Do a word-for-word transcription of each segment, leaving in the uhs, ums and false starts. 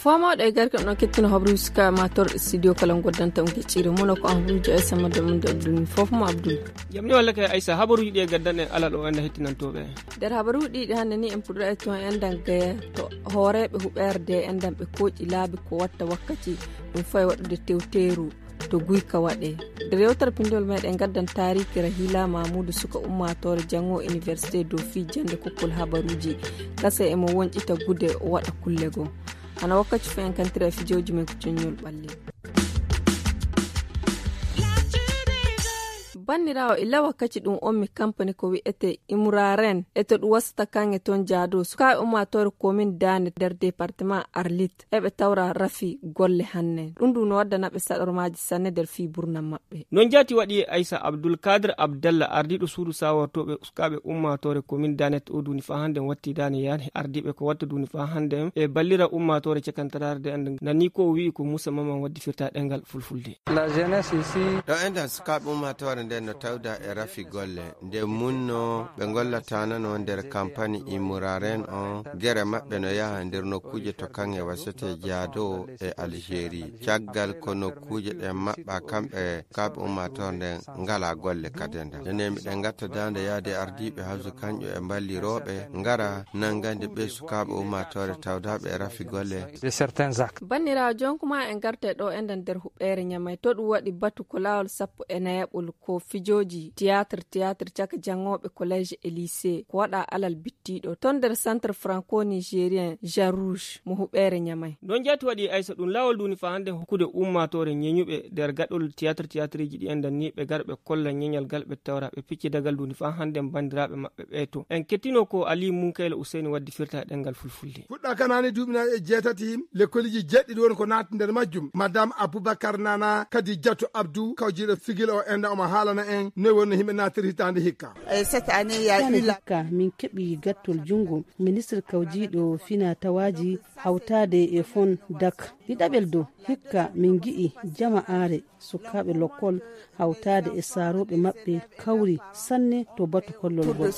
Fomooɗo e garke ɗon kettino habruuji suka matorɗe studio kala goddanta on geccire mono ko an ruuji ay samma de mun de abdul fof mo abdul. Jam ni walla kay aysa habaruuji ɗi e gaddan en alal o enda hettinantooɓe. Nder habaruuji ɗiɗi hannde ni en puɗɗo e toon endan gaya to hooreeɓe huɓeerde endan ɓe kooƴi laabi ko watta wakkati ɗum fayi waɗude tewteeru to guyka waɗe. Nder yewtere pinndol meɗen gaddan taariki rahila mamudu suka ummaatoore jango université dofi jannde kokkol habaruuji kasa emo wonƴita gude o waɗa kulle goo. Hana wakkati fof en kantira e fijooji men ko coññol ɓalli. Banniraawo illa wakkati ɗum on mi kampani ko wi'ete imuraren e to ɗum wasata kan e toon jaado sukaaɓe ummaatoore komin daane nder département arlit eɓe tawra rafi golle hanne ɗum ɗum no waddanaɓe saɗormaaji sanne nder fii burna maɓɓe. Non jaati waɗi e aysa abdul kadir abdalla ardiiɗo suudu sawortooɓe sukaaɓe ummaatoore komin danet o duuni faa hannde watti daane yaade ardiiɓe ko watta duuni faa hannde e ballira ummaatoore cakantaraare de annde nani ko o wi'i ko muusa maman waddi firta ɗengal fulfulde. Ɗo enɗan sukaaɓe ummaatoore nden no tawda e rafi golle nde munno ɓe ngollatanano nder kampani imuraren on gere maɓɓe no yaha nder nokkuuje to kaŋŋe wasete jaado e algérie caggal ko nokkuuje ɗen maɓɓa kamɓe sukaaɓe ummaatoore nden ngala golle kadi enɗan nene miɗen gatta dande yaade ardiiɓe hawsu kanƴo e mballirooɓe ngara nangande ɓe sukaaɓe ummaatoore tawdaɓe e rafi golle. Banniraawo jonkuma en garte ɗo enɗan nder huɓɓeere ñamay to ɗum waɗi batu ko laawol sappo e nayaɓol ko fijooji théâtre théâtre caka janngooɓe collège e lycée ko waɗa alal bittiiɗo ton nder centre franco nigérien jean rouge mo huɓeere ñamay. Non jaati waɗi aysa ɗum laawol duuni faa hannde hokkude ummaatoore ñeñuɓe nder gaɗol théâtre théâtreji ɗi enɗan ni ɓe gar ɓe kolla ñeñal gal ɓe tawra ɓe piccidagal duuni faa hannde banndiraaɓe maɓɓe ɓe to en kettino ko ali munkayla useyni waddi firta ɗengal fulfulde. Fuɗɗa kanani duuɓi nayi e jeetati lekkoliji jeɗɗiɗi woni ko naati nder majjum madame aboubacar nana kadi jatu abdou kawjiiɗo sigil o enda omo haalana en noy wonno yimɓe naatiri hitaande hikka. Cette année ya eu la hikka min keɓi gattol junngo ministre kawjiiɗo fina tawaaji hawtaade e fon dak ɗiɗaɓel dow hikka min ngi'i jama aare sukaaɓe lokkol hawtaade e saarooɓe maɓɓe kawri sanne to batu kollol ngol.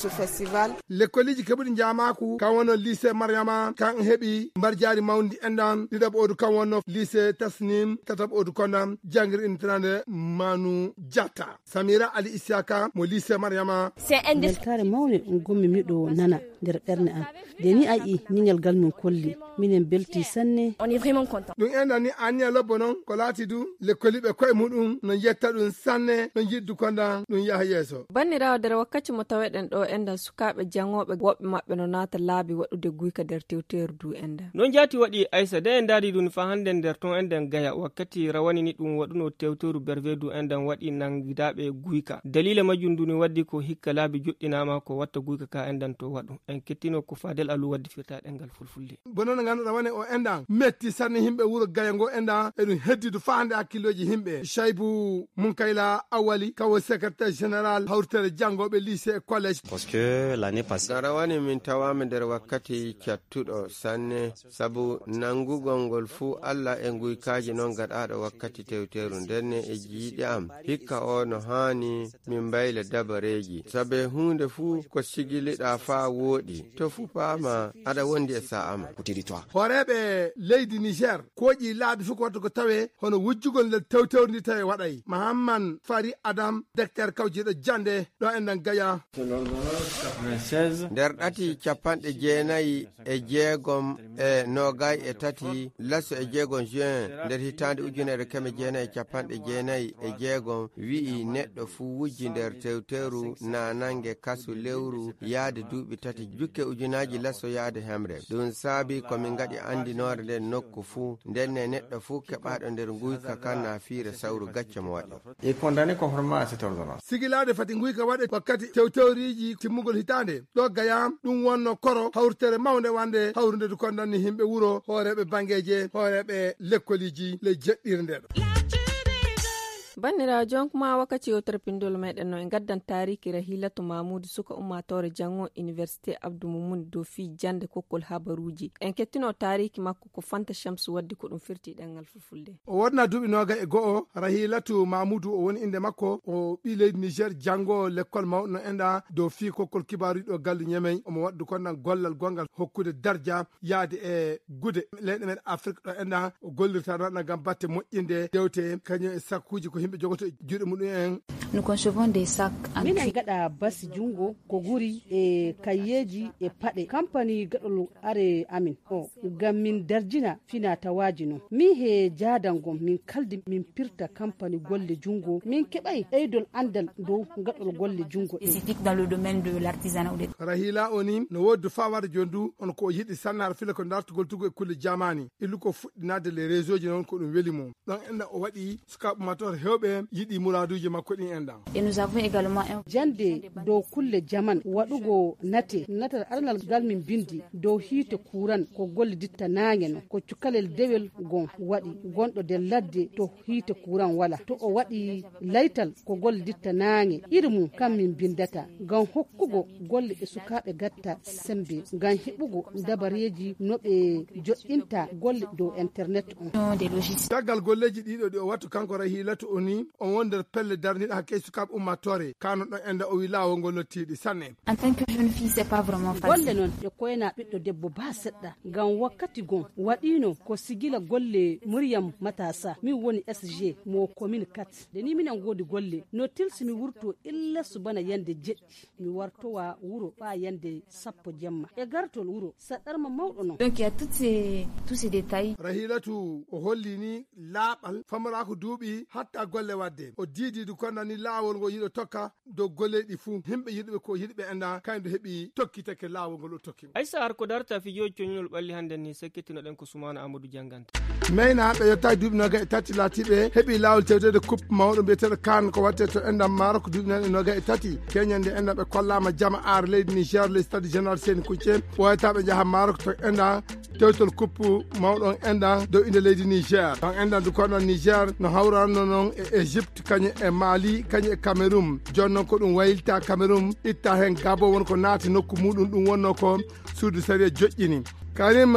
Lekkoliji keɓuɗi njamaaku kan wonno lycée mariama kan heɓi mbarjaari mawndi enɗan ɗiɗaɓo odu kan wonno lycée tasnim tataɓo odu kondan janngiri intirande manu jatta samira ali isiaka mo lycée mariama. Weltaare mawne ngommi miɗo nana nder ɓernde am nde ni a yi'i ñiŋal ngal min kolli minen belti sanne. Ɗum enɗan ni anniya lobbo noon ko laati du lekkoliɓe koye muɗum no yetta ɗum sanne no yiddu kondan ɗum yaha yeeso. Banniraawo nder wakkati mo taweɗen ɗo enɗan sukaaɓe janngooɓe woɓɓe maɓɓe no naata laabi waɗude guyka nder tewteeru du enɗan. Non jaati waɗi aysa de en ndaari ɗum faa hannde nder ton enɗan gaya wakkati rawani ni ɗum waɗuno tewteeru berve du enɗan waɗi nanngidaaɓe guyka daliila majjum du ni waddi ko hikka laabi joɗɗinaama ko watta guyka ka enɗan to waɗu en kettino ko faadel alu waddi firta ɗengal fulfulde. Bono no ngannduɗaa woni o enɗan metti sanne yimɓe wuro gaya ngo enɗan eɗum heddi du faa hannde hakkillooji yimɓe shaybu munkayla awali kawo secrétaire général hawtere janngooɓe lycée e collège. Parce que l'année passée dara woni min tawaama nder wakkati cattuɗo sanne sabu nanngugol ngol fuu alla e nguykaaji noon gaɗaaɗo wakkati tewteeru ndenne e jiiɗi am hikka o no haani min mbayla dabareeji sabe huunde fuu ko sigiliɗaa faa wooɗi to fupaama aɗa wondi e sa'a ma. Hooreeɓe leydi niger kooƴi laabi fof ko watta ko tawe hono wujjugol nder tewtewri ndi tawi waɗay mahamman fari adam decteur kawjiiɗo jannde ɗo enɗan gaya. Nder ɗati capanɗe jeenayi e jeegom e noogay e tati laso e jeegom juin nder hitaande ujunere keme jeenayi e capanɗe jeenayi e jeegom wi'i neɗɗo fuu wujji nder tewteru naanange kasu lewru yaade duuɓi tati jukke ujunaaji laso yaade hemre ɗum saabi ko min ngaɗi anndinoore nden nokku fuu ndenne neɗɗo fuu keɓaaɗo nder nguyka kan na fiira sawru gacce mo waɗi. Est condamné conformément à cette ordonnance. Sigilaade fati nguyka waɗe wakkati tewtewriiji timmugol hitaande ɗo gaya ɗum wonno koro hawritere mawnde wande hawrunde du kondanni yimɓe wuro hooreeɓe banngeeje hooreeɓe lekkoliiji ley jeɗɗirnde ɗo. Banndiraawo, jonkuma wakkati o terpindol meɗen no e ngaddan taariki Rahilatu Mamuudu, suka ummaatoore janngo Université Abdou Moumouni dow fii jannde kokkol habaruuji. En kettino taariki makko ko Fanta Shamsu waddi ko ɗum firti ɗemngal fulfulde. O wodna duuɓi nooga e go'o, Rahilatu Mamuudu o woni innde makko, o ɓii leydi Niger, janngo lekkol mawɗo no enɗa dow fii kokkol kibaaruuji ɗo gallu Ñemey. Omo waɗdu kon nan gollal gonngal hokkude darja yaade e gude leyɗe men Afrik ɗo enɗa o gollirta noon ngam batte moƴƴinde dewte kañum e sakkuuji ko yimɓe jogoto e juuɗe muɗum en. Nous concevons des sacs en minen cuir. Gaɗa basi junngo ko guri e kayyeeji e paɗe. Kampani gaɗol are amin o ngam min darjina fina tawaaji noon. Min he jaadango min kaldi min pirta kampani golle junngo. Min keɓay ɓeydol anndal dow gaɗol golle junngo ɗin. Spécifique dans le domaine de l'artisanat ou des Rahila o ni no woodi fawaade jooni du on ko o yiɗi sannaar fila ko dartugol tugu e kulle jamaani. Illu ko fuɗɗinaade les réseauji noon ko ɗum weli mo. Ɗon enɗa o waɗi sukaaɓe ummaatoore heewɓe yiɗi muraaduuji makko ɗin enɗan. Et nous avons également un jannde dow kulle jaman waɗugo nate. Natal aranal ngal min mbinndi dow hiite kuuran ko golle ditta naange no ko cukalel dewel gon waɗi gonɗo nder ladde to hiite kuuran wala to o waɗi laytal ko golle ditta naange iri mum kam min mbinndata ngam hokkugo golle ɓe sukaaɓe gatta semmbe ngam heɓugo dabareeji no ɓe joɗɗinta golle dow internet on. Caggal golleeji ɗiɗo ɗi o wattu kanko Rahilatu o ni on woni nder pelle darniiɗe hakkee sukaaɓe ummaatoore kano ɗon enda o wi laawol ngol no tiiɗi sanne. En tant que jeune fille, c'est pas vraiment facile. Golle noon ɗe koyna ɓiɗɗo debbo baa seɗɗa ngam wakkati gon waɗiino ko sigila golle Muryam Matasa min woni S G mo commune quatre. Nde ni minen ngoodi golle no tilsi mi wurto illa subana yande jeɗɗi mi wartowa wuro ɓaa yande sappo jemma e gartol wuro saɗɗarma mawɗo noon. Donc il y a toutes ces tous ces détails. Rahilatu o holli ni laaɓal famaraako duuɓi hatta golle waɗde o diidiidu konna ni laawol ngo yiɗo tokka dow golleeɗi fuu yimɓe yiɗuɓe ko yiɗuɓe enda kaydo heɓi tokkitake laawol ngol o tokki. Aysa har ko darta fijooji coñunol ɓalli hannde ni sekkitinoɗen ko Sumaana Amadou Jannganta. Meyna ɓe yottaaki duuɓi noga e tati laatiiɓe heɓi laawol tewteede coupe mawɗo mbiyeteeɗo kaan ko waɗte to enɗam maaro ko duuɓi noga e tati keñande enɗam ɓe kollaama jama aar leydi Niger ley stade général Seni Kunce ɓooyata ɓe njaha maaro ko to enɗam tewtol coupe mawɗo on enɗam dow inde leydi Niger on enɗam du koɗon Niger no hawranno noon e Égypte kañum e Mali kañum e Cameroun. Jooni noon ko ɗum waylita Cameroun itta heen Gabon won ko naati nokku muɗum ɗum wonno ko suudu sariya joƴƴini. Karim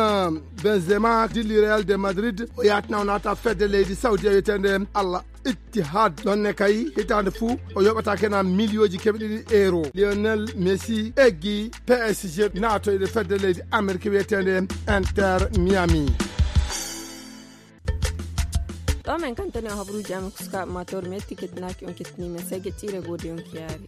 Benzema dilli Real de Madrid o yatna o naata fedde leydi Saudi wiyetende Allah Ittihad ɗonne kay hitaande fuu o yoɓata kena miliyooji keɓe ɗiɗi euro. Lionel Messi eggi P S G naato e fedde leydi Amerique wiyetende Inter Miami. Ɗo men kantani o habruuji amen ko sukaaɓe ma tawre metti kettinaaki on kettini men sege tiire goode on kiyaari.